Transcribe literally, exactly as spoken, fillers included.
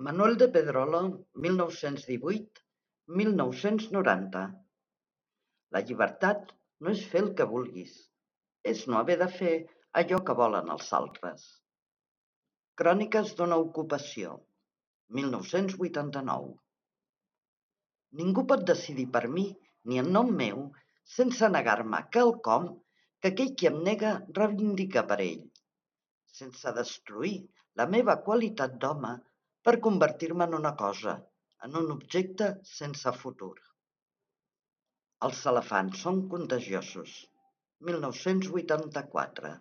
Manuel de Pedrolo, mil nou-cents divuit - mil nou-cents noranta. La llibertat no és fer el que vulguis, és no haver de fer allò que volen els altres. Cròniques d'una ocupació, mil nou-cents vuitanta-nou. Ningú pot decidir per mi ni en nom meu sense negar-me quelcom que aquell qui em nega reivindica per ell, sense destruir la meva qualitat d'home per convertir-me en una cosa, en un objecte sense futur. Els elefants són contagiosos, mil nou-cents vuitanta-quatre.